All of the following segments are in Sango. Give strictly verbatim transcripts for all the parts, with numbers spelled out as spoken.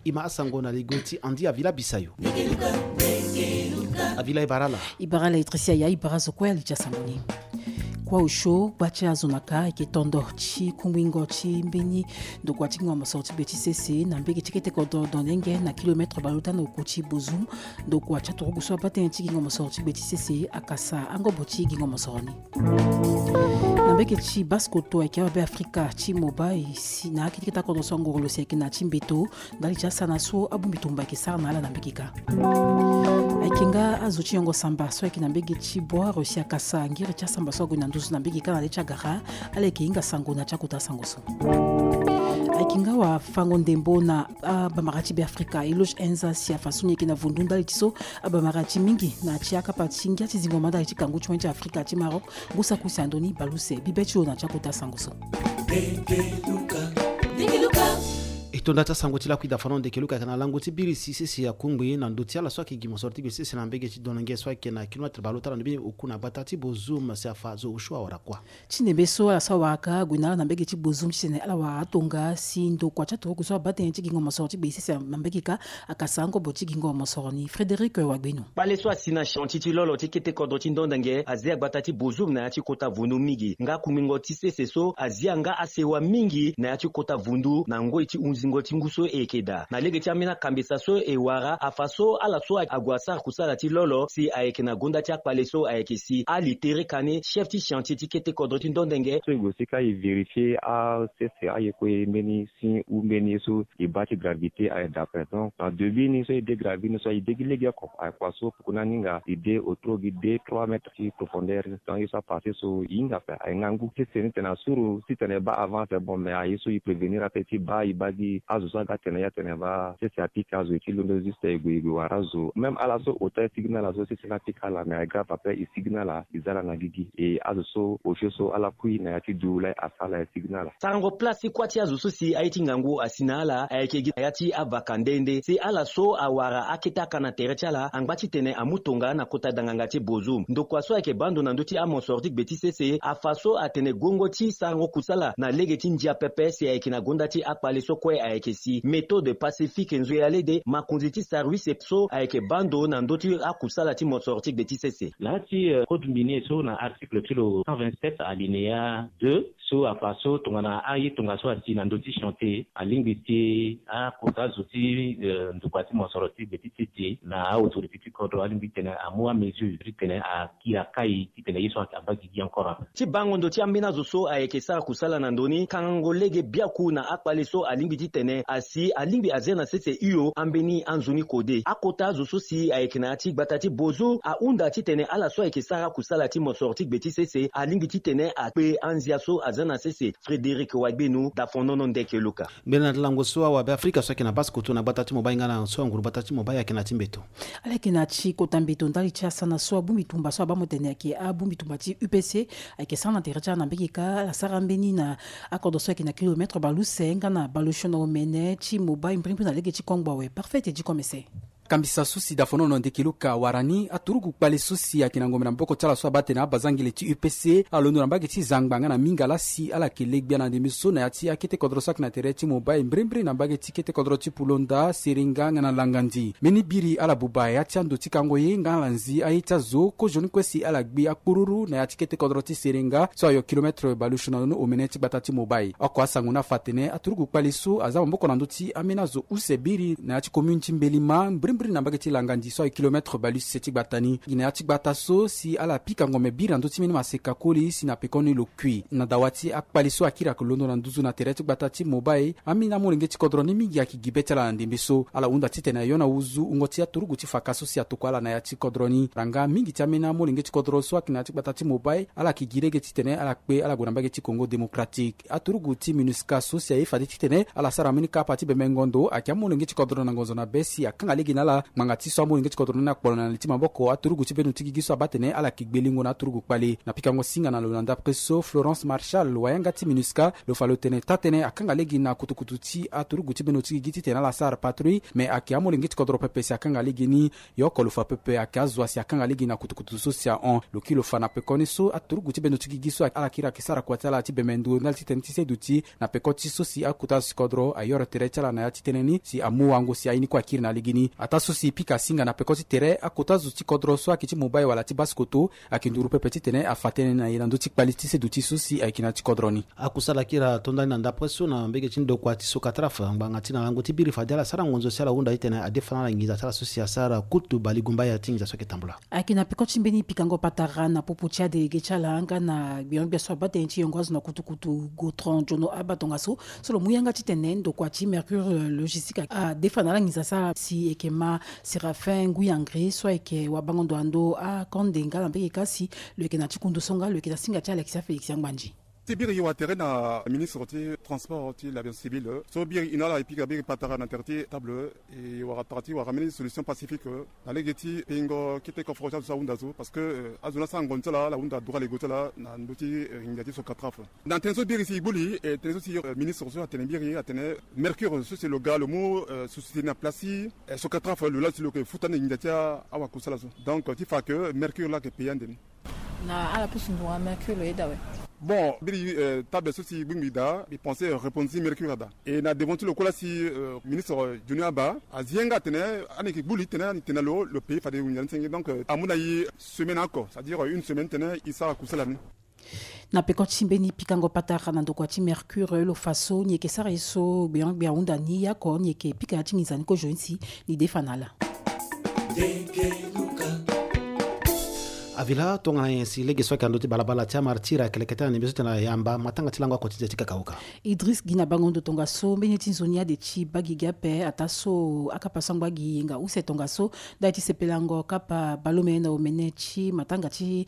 E ma asango na ligo ti Andy Avila Bisayo. Avila, e bara ala. E bara ala, Etricia. Ya, e bara zo kue ali ti asango ni. Kuâ osio gba ti azo na ka ayeke tondo ti kungbingo ti mbeni ndokua ti gingo mosoro ti gbe ti sese na mbege ti kete kodro Dondenge na kilomètre baleota na oku ti Bozoum. Ndokua ti aturugu so abaa tënë ti gingo mosoro ti gbe ti sese akasa angobo ti gingo mosoro ni. Na mbege ti Basse-Kotto ayeke awabe Afrika ti Mobay si na akete kete akodro so angoro lo si ayeke na ya ti mbeto ndali ti asana so abongbi tumba ayeke sara na ala na mbege kâ. Ayeke nga azo ti yongo samba so ayeke na mbege ti Bouar si akasa ngiri ti asamba so ague na nduzu na mbege kâ na le ti agara. Ala yeke hinga sango na ya ti akota sango so. Ayeke nga wafango ndembo na abamara ti Beafrika Eloge Enza si afa so ni ayeke na vundu ndali ti so abamara ti mingi na ya ti akapa ti ngia ti zingo ma ndali ti kangu ti wani ti Afrika ti Maroc. Ngu saki use na ndö ni bale use bibe ti lo na ya ti akota sango so. E tonda ti asango ti lakui da fano ndeke luka ayeke na lango ti biri si sese akungbi na ndö ti ala so ayeke gi mosoro ti gbe sese na mbege ti Dondenge so ayeke na kilomètre baleota na ndö mbeni oku na gbata ti Bozoum si afa zo osio awara kuâ. Ti ndembe so ala so awara ka ague na ala na mbege ti Bozoum titene ala wara atonga si ndokua ti aturugu so abaa tënë ti gingo mosoro ti gbe sese na mbege kâ akasa angobo ti gingo mosoro ni. Frédéric Wagbeno. Kpale so asi na chantier ti lolo ti kete kodro ti Dondenge azia gbata ti Bozoum na ya ti kota vundu mingi. Nga kungbingo ti sese so azia nga asewa mingi na ya ti kota vundu na ngoi ti hunzingo ti ngu so e yeke daa. Na lege ti ambeni akambesa so e wara afa so ala so ague asara kusala ti lolo si ayeke na gonda ti akpale so ayeke si Ali Tere Kane, chef ti chantier ti kete kodro ti Dondenge. So e gue si ka e vérifier asese aye kue mbeni si ou mbeni ye so e baa ti gravité aye d'après. Donc na début ni so e de gravité ni so e de gi lege oko aye kua so poko ni aninga e de autour gi deux trois mètres ti profondeur. Donc ye so apasé so e hinga ape aye ngangu sese ni tene asuru titene e baa avance bon mais aye so e prévenir ape ti baa e baa gi azo so aga tene ya tene baa sese apika azo e ti londo juste e gue e gue wara azo même ala so hôtel e sigi na ala so sese ni apika ala mais aye grave ape e sigi na ala e za ala na gigi e azo so osio so ala kui na ya ti du lai asara ala e sigi na ala. Sarango place ti kuâ ti azo so si aye ti ngangu asi na ala ayeke gi na ya ti avaka nde nde si ala so awara akete aka na tere ti ala angba titene amu tonga na kota danganga ti Bozoum. Ndokua so ayeke baa ndo na ndö ti amosoro ti gbe ti sese afa so atene guengo ti sarango kusala na lege ti ndia pepe si ayeke na gonda ti akpale so kue ayeke si méthode pacifique nzoyalede makonzi ti service so ayeke baa ndo na ndö ti akusala ti mosoro ti gbe ti sese. Laa ti code minier so na article ti lo cent vingt-sept alinéa deux so afa so tongana aye tongaso asi na ndö ti chantier alingbi ti akota zo ti ndokua ti mosoro ti gbe ti sese na aautorité ti kodro alingbi titene amu amesure titene akiri akai titene ye so abaa gigi encore ape. Ti bango ndo ti ambeni azo so ayeke sara kusala na ndo ni kangango lege biaku na akpale so alingbi titene asi alingbi azia na sese hio ambeni anzoni kode akota azo so si ayeke na ya ti gbata ti Bozoum ahunda titene ala so ayeke sara kusala ti mosoro ti gbe ti sese alingbi titene akpe anzia so azia na sese. Frédéric Wagbeno, Dafonono Ndeke Luka. Mbeni na lango so awabe Afrika so ayeke na Basse-Kotto na gbata ti Mobay nga na so anguru gbata ti Mobay ayeke na ti mbeto. Ala yeke na ti kota mbeto ndali ti asana so abongbi tumba so abaa mo tene ayeke abongbi tumba ti U P C ayeke sara na tere ti ala na mbege kâ ala sara mbeni na akodro so ayeke na kilomètre baleuse nga na baleosio na omene ti Mobay mbrimbri na lege ti kongbo awe. Parfait ti e di komese. Kambisa so si Dafonono Ndeke Luka awara ni aturugu kpale so si ayeke na ngombe na maboko ti ala so abaa tene abazangele ti U P C ala londo na mbage ti zangba nga na minga laa si ala yeke le gbia na ndembe so na ya ti akete kodro so ayeke na tere ti Mobay mbrimbri na mbage ti kete kodro ti Pulonda, Serenga nga na Langandi. Mbeni biri ala buba ya ti ando ti kango ye nga ala nzi aye ti azo kozoni kue si ala gbi akpururu na ya ti kete kodro ti Serenga so ayo kilomètre baleosio na omene ti gbata ti Mobay. Oko asango ni afa atene aturugu kpale so aza maboko na ndö ti ambeni azo use biri na ya ti commune ti Mbelima mbrimbri na mbage ti Langandi so aye kilomètre baleuse ti gbata ni gi na ya ti gbata so si ala pika ngombe biri na ndö ti mbeni maseka koli si na pekoni lo kui na dawa ti akpale so akiri ayeke londo na nduzu na tere ti gbata ti Mobay. Ambeni amolenge ti kodro ni mingi ayeke gi be ti ala na ndembe so ala hunda titene ayo na wuzu wungo ti aturugu ti faka so si atokua ala na ya ti kodro ni. Ranga mingi ti ambeni amolenge ti kodro so ayeke na ya ti gbata ti Mobay ala yeke gi lege titene ala kpe ala gue na mbage ti Congo Démocratique. Aturugu ti MINUSCA so si aye fade titene ala sara mbeni kapa ti bembengo ndo ayeke amolenge ti kodro na ngonzo na be si akanga lege na Ala ngbanga ti so amolenge ti kodro ni akpolo na li ti maboko aturugu ti bendo ti gigi so abaa atene ala yeke gbe lingo na aturugu kpale. Na pikango singa na lo na ndapre so, Florence Marchal, wayanga ti MINUSCA, lo fa lo tene taa-tënë akanga lege na kutukutu ti aturugu ti bendo ti gigi titene ala sara patrouille, me ayeke amolenge ti kodro pepe si akanga lege ni. Ye oko lo fa pepe ayeke azo asi akanga lege na kutukutu so si ahon. Lo kiri lo fa na pekoni so aturugu ti bendo ti gigi so ala kiri ayeke sara kua ti ala ti bembe ndo ndali ti tënë ti seduti na peko ti so si akota azo ti kodro ayoro tere ti ala na ya ti tënë ni si amu wango si aye ni kue akiri na legeni. Ataa so si e pika singa na peko ti tere, akota azo ti kodro so ayeke ti Mobay wala ti Basse-Kotto ayeke nduru pepe titene afa tënë na e na ndö ti kpali ti seduti so si ayeke na ya ti kodro ni. Akusala kiri ato ndani na ndapre so na mbege ti ndokua ti Sokatraf, ngbanga ti na lango ti biri fade ala sara ngonzo si ala hunda titene adefa na ala nginza ti ala so si asara kutu balegumbaya ti nginza so ayeke tambula. Ayeke na peko ti mbeni pikango patara na popo ti adélégué ti ala nga na gbion-gbia so abaa tënë ti yongo azo na kutukutu Gotron Jono Aba tongaso, so lo mu yanga titene ndokua ti Mercure Logistique adefa na ala nginza so ala si e yeke ma Séraphin Nguy Hangri so ayeke wabango ndo na ndo akande nga na mbege ka si lo yeke na ti kundu so nga lo yeke na singa ti Alexia Félix Angbandi. Ti biri e wara tere na ministre ti transport ti l'aviation civile so biri e na ala e pika biri patara na tere ti table, e wara tara ti wara mbeni solution pacifique na lege ti peingo kete koforo ti azo so ahunda so, parce que azo ni asara ngonzo ti ala, ala hunda droit lego ti ala na ndö ti nginza ti Sokatraf. Na tënë so biri si e gbu li, tënë so si ministre so atene biri atene Mercure so si lo ga lo mu société na place ti Sokatraf, lo laa si lo yeke futa ande nginza ti awakusala so. Donc ti fa que Mercure laa ayeke payer ande ni. Na ala pusu nduru na Mercure lo yeda awe. Bon, biri table so si e gbingbi daa, mbi pense répondre ti Mercure ada. E na devant ti lo kue laa si ministre Jono Aba azi ye nga atene ande e yeke gbu li titene ande e tene na lo, lo payer fade nginza ni senge. Donc amu na e semaine oko, c'est-à-dire une semaine titene e sara kusala ni. Na peko ti mbeni pikango patara na ndokua ti Mercure lo fa so ni yeke sara ye so gbion-gbia ahunda ni, ye oko ni yeke pika ya ti nginza ni kozoni si ni defa na ala. Avila tongana nyen si lege so ayeke na ndö ti balabala ti amartir ayeke lekete na ndembe so tene na yamba matanga ti lango oko ti nze ti kakauka. Idriss Gina bango ndo tongaso mbeni ti nzoni ade ti baa gigi ape, ataa so akapa so angba gi yenga use tongaso ndali ti sepelango kapa baleomene na omene ti matanga ti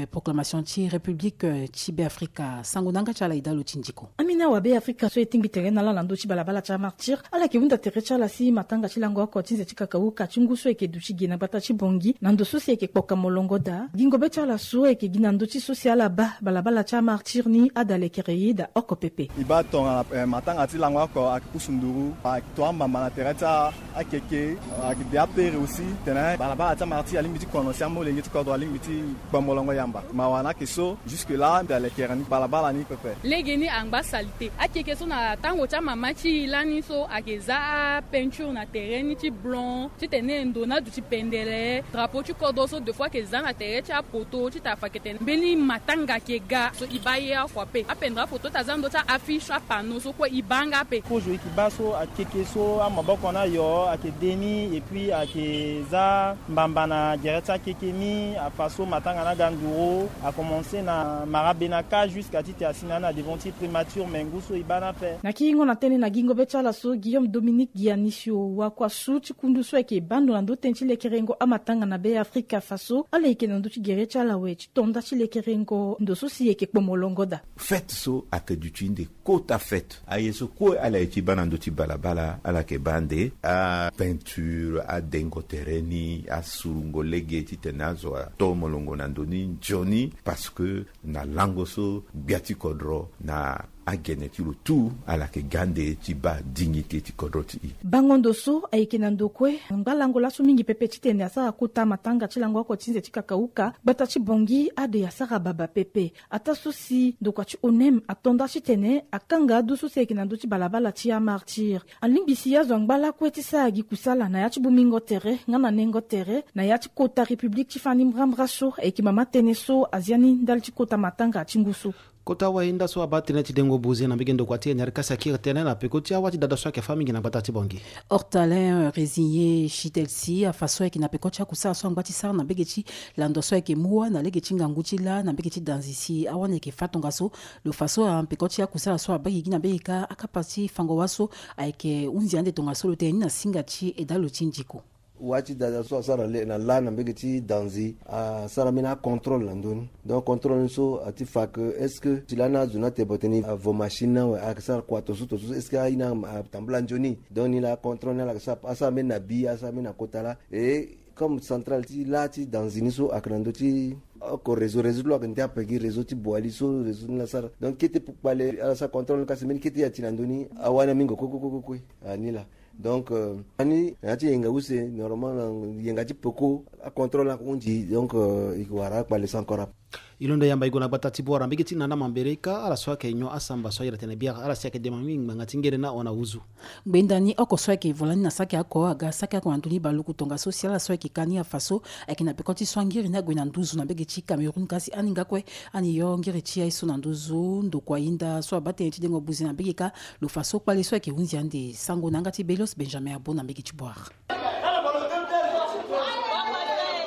proclamation ti République ti Beafrika. Sango na yanga ti ala e daa lo ti ndiko. Amina wa Beafrika so e tingbi tere na ala na ndö ti balabala ti amartir, ala yeke hunda tere ti ala si matanga ti lango oko ti nze ti kakauka ti ngu so e yeke duti gi na gbata ti Bangui na ndo so si e yeke kpoka molongo daa. Gingo be ti ala so e yeke gi na ndö ti so si ala baa balabala ti amartir ni ada lekere ye da oko pepe. E baa tongana matanga ti lango oko ayeke pusu nduru, ayeke to ambamba na tere ti akeke, ayeke de apere aussi tene balabala ti amartir alingbi ti kono si amolenge ti kodro alingbi ti kpo molongo yamba. Mawa ni ayeke so, jusque là mbi alekere ni balabala ni pepe. Lege ni angba salite. Akeke so na tango ti amama ti e lani so ayeke za apeinture na tere ni ti blanc titene ndo ni aduti pendere. Drapeau ti kodro so deux fois ayeke za na tere ti apoto titene afa yeke tene mbeni matanga ayeke ga. So e baa ye oko ape. Apendere apoto ti aza na ndö ti a-affiche, apanneau so kue e baa nga ape. Kozo e yeke baa so akeke so amaboko ni ayo ayeke de ni, et puis ayeke za mbamba na gere ti akeke ni, afa so matanga ni aga nduru, a commencer na Marabenaka jusqu'à ti tene asi na ni na devant ti primature, me ngu so e baa ni ape. Na kiringo na tënë na gingo be ti ala so, Guillaume Dominique Gianisio, wakua su ti kundu so ayeke baa ndo na ndö tënë ti lekerengo amatanga na Beafrika, fa so ala yeke na ndö ti gere ti ala awe ti to nda ti lekerengo ndo so si e yeke kpo molongo daa. Fête so ayeke duti nde kota fête. Aye so kue ala ye ti baa na ndö ti balabala, ala yeke baa nde apeinture, adengo tere ni, asurungo lege titene azo ato molongo na ndo ni nzoni, parce que na lango so gbia ti kodro na agene ti lo tout ala yeke ga nde ti baa dignité ti kodro ti e. Bango ndo so ayeke na ndo kue, angba lango laso mingi pepe titene asara kota matanga ti lango oko ti nze ti kakauka, gbata ti Bangui ade asara baba pepe. Ataa so si ndokua ti ONEM ato nda titene akanga adu so si ayeke na ndö ti balabala ti amartir. Alingbi si azo angba lakue ti sara gi kusala na ya ti bongbingo tere nga na nengo tere na ya ti kota République ti fani mbrambra so ayeke mama tënë so azia ni ndali ti kota matanga ti ngu so. Kota wahinda so abaa tënë ti dengo buze na mbege ndokua ti N R K si akiri tënë na peko ti awa ti dada so ayeke fâ mingi na gbata ti Bangui. Hortalin, euh, Résigné Chitelsi afa so ayeke na peko ti akusala so angba ti sara na mbege ti lando so ayeke mu wâ na lege ti ngangu ti lâ na mbege ti danzi si awani ayeke fâ tongaso. Lo fa so na peko ti akusala so abaa gigi na mbege ka akapa ti fango wâ so ayeke hunzi ande tongaso lo tene ni na singa ti eda lo ti ndiko. Wa ti dada so asara le na la na mbege ti danzi asara mbeni acontrôle na ndö ni. Donc contrôle ni so ati fa ke est-ce que ti lani azo ni atene bote ni avo machine ni awe ayeke sara kua toso toso so est-ce que aye ni atambula nzoni? Donc ni la acontrôle ni ala yeke sara asara mbeni na bi asara mbeni na kota laa. Et comme centrale ti la ti danzi ni so ayeke na ndö ti oko réseau réseau ti lo ayeke ndia pegi réseau ti boali so réseau ni la sara. Donc kete kpale ala sara contrôle ni kasi mbeni kete ya ti na ndö ni awani amingo kue kue kue kue kue. Ani la. Donc ani na ya ti yenga use normalement na yenga ti peko acontrôle ni ahunzi donc e yeke wara akpale so encore ape. E londo yamba e gue na gbata ti Bouar na mbege ti nana mambere ka ala so ayeke nyon asamba so ayere tene biara ala si ayeke dema mingi ngbanga ti ngere ni ahon na uzu. Ngbenda ni oko so ayeke vo lani na saki oko aga saki oko na ndö ni baluku tongaso si ala so ayeke ka ni afa so ayeke na peko ti so angiri ni ague na nduzu na mbege ti Cameroun kasi aninga kue ani yo ngiri ti aye so na nduzu ndokua hinda so abaa tënë ti dengo buze na mbege ka. Lo fa so kpale so ayeke hunzi ande sango na yanga ti Belios Benjamin Abo na mbege ti Bouar.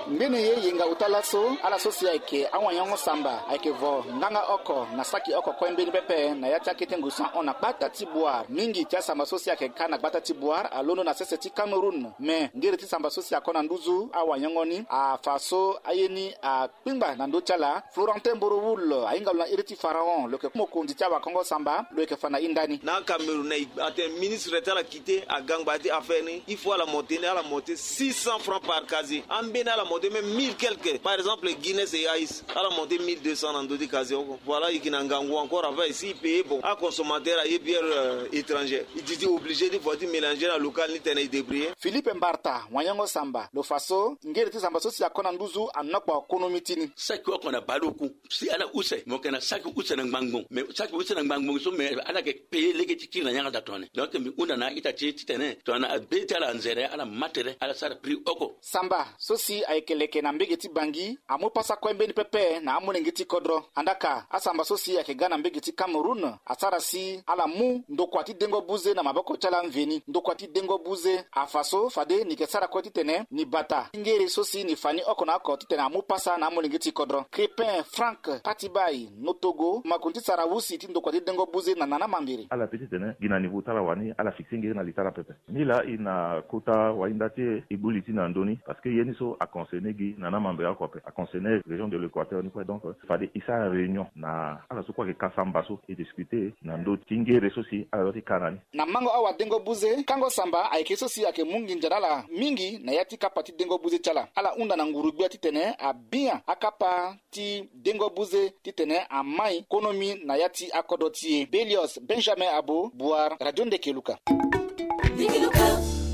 Mbeni ye yenga ota laso ala so si ayeke awanyango samba ayeke vo nganga oko na saki oko kue mbeni pepe na ya ti akete ngu so ahon na gbata ti Bouar mingi ti asamba so si ayeke ka na gbata ti Bouar alondo na sese ti Cameroun. Me ngere ti samba so si ako na nduzu awanyango ni afa so aye ni a kpingba na ndö ti ala. Florentin Mborowul ahinga lo na iri ti Pharaon lo yeke mokonzi ti awakongo samba lo yeke fa na hinda ni. Na Cameroun na e atene ministre ti ala kite agangba ti affaire ni il faut ala monte ni ala monte six cents francs par casier ambeni ala monte même mille quelque par exemple Guinness et Ice ala monte mille deux cents na ndö ti casier oko. Voilà e yeke na ngangu encore après si e paye bon aconsommateur aye bière étrangère e di ti obligé ti vo ti mélanger na local ni tene e débrouiller. Philippe Mbarta wanyango samba lo fa so ngere ti samba so si ako na nduzu anokpo konomi ti ni. Saki oko na baluku si ala use mo yeke na saki use na ngbangbo me saki use na ngbangbo so me ala yeke paye lege ti kiri na yanga da tongana ni donc mbi hunda na a-ita ti e titene tongana abe ti ala anzere ala ma tere ala sara prix oko. Samba so si ayeke leke na mbege ti Bangi amu pasa kue mbeni pepe na amolenge ti kodro. Andaka asamba so si ayeke ga na mbege ti Cameroun asara si ala mu ndokua ti dengo buze na maboko ti ala mveni ndokua ti dengo buze afa so fade ni yeke sara kue titene ni bata ngere so si ni fa ni oko na oko titene amu pasa na amolenge ti kodro. Crépin Frank Patibai Notogo makonzi ti sara usi ti ndokua ti dengo buze na nana mambere. Ala pe titene gi na niveau ti ala wani ala fixe ngere na li ti ala pepe. Ni laa e na kota wahinda ti e e gbu li ti na ndö ni parce que ye ni so aconcerné gi na na mambere oko ape aconcerné région de l'Équateur ni kue donc fade e sara réunion na ala so kue ayeke ka samba so e discuter na ndö ti ngere so si ala dua ti ka na ni. Na mango awadengo buze kango samba ayeke so si ayeke mu nginza na ala mingi na ya ti kapa ti dengo buze ti ala ala hunda na nguru-gbia titene abia akapa ti dengo buze titene amai konomi na ya ti akodro ti e. Belios Benjamin Abo Bouar Radio Ndeke Luka.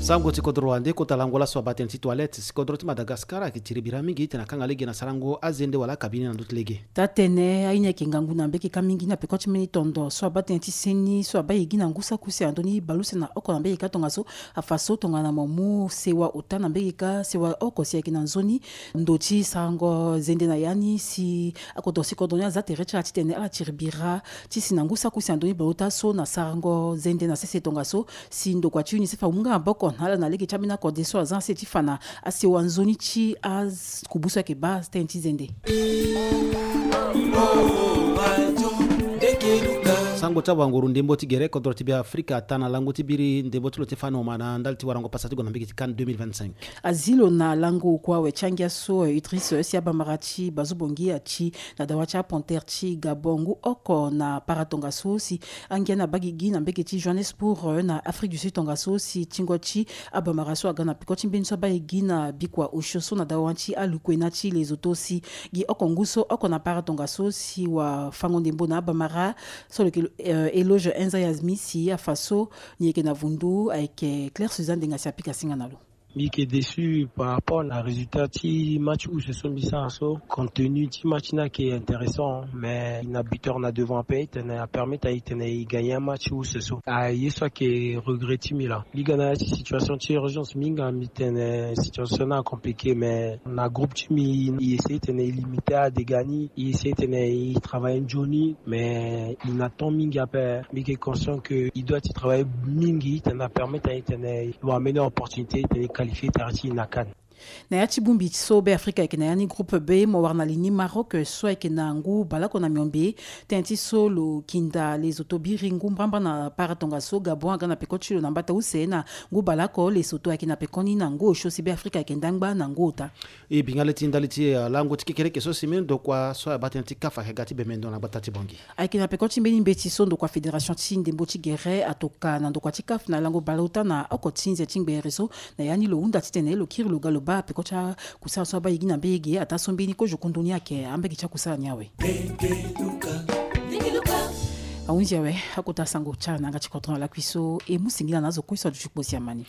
Sango ti kodro wande kota lango laso abaa tënë ti toilette si kodro ti Madagascar ayeke tiri bira mingi titene akanga lege na sarango azende wala akabine na ndö ti lege. Taa-tënë aye ni ayeke ngangu na mbekeka mingi na peko ti mbeni tondo so abaa tënë ti seni so abaa e gi na ngu saki use na ndö ni baleuse na oko na mbekeka tongaso afa so tongana mo mu sewa ota na mbekeka sewa oko si ayeke na nzoni ndo ti sarango zende na ya ni si akodro si kodro ni aza tere ti ala titene ala tiri bira ti si na ngu saki use na ndö ni baleota so na sarango zende na sese tongaso si ndokua ti UNICEF amu nga maboko na ala na lege ti ambeni akode so aza na se ti fa na asewa nzoni ti akubu so ayeke baa tënë ti zende. Sango ti awanguru ndembo ti gere kodro ti Beafrika ata na lango ti biri ndembo ti lo ti fani homa na ndali ti warango pasa ti gue na mbege ti CAN deux mille vingt-cinq. Azi lo na lango kua awe ti angia so Idriss si abamara ti bazo bongi ati na dawa ti apantere ti Gabon ngu oko na para tongaso si angia ni abaa gigi na mbege ti Johannesburg na Afrique du Sud tongaso si tingo ti abamara so aga na peko ti mbeni so abaa e gi na bikua osio so na dawa ti alukue na ti Lesotho si gi oko ngu so oko na para tongaso si wafango ndembo na abamara so lo yeke Eloge Enza Yazmi si afa so ni yeke na vundu ayeke Claire Suzanne Denga si apika singa na lo. Mbi yeke déçu par rapport na résultat ti match use so mbi sara so. Compte tenu ti match ni ayeke intéressant mais na buteur na devant ape titene apermettre aye titene e gagner match use so. Aye so ayeke regret ti mbi laa. Mbi ga na ya ti situation ti urgence mbi hinga mbi tene situation ni acompliqué mais na groupe ti mbi e essayer titene e limiter adega ni e essayer titene e travailler nzoni mais e na temps mingi ape. Mbi yeke conscient que e doit ti travailler mingi titene apermettre aye titene e wara mbeni opportunité titene e qualifier tere ti e na CAN. Na ya ti bongbi so Be Afrika ayeke na ya ni, groupe B, mo wara na li ni Maroc so ayeke na ngu baleoko na miombe. Tënë ti so lo kinda lezoto biri ngu mbrambra na para tongaso Gabon aga na peko ti lo na mbata use na ngu baleoko. Lesoto ayeke na peko ni na ngu osio si Be Afrika ayeke ndangba na ngu ota. E bi nga le ti ndali ti, eh, lango ti kekereke so si mbeni ndokua so abaa tënë ti CAF ayeke ga ti bembe ndo na gbata ti Bangui. Ayeke na peko ti mbeni mbeti so ndokua fédération ti ndembo ti gere atoka na ndokua ti CAF na lango baleota na oko ti nze ti ngbere so. Na ya ni lo hunda titene lo kiri lo ga lo baa peko ti akusala so abaa yigi na mbege ataa so mbeni kozo kundu ni ayeke ambege ti akusala ni awe. Ahunzi awe, akota sango ti ala na yanga ti kodro na lakui so e mu singila na azo kue so aduti kpo siamani.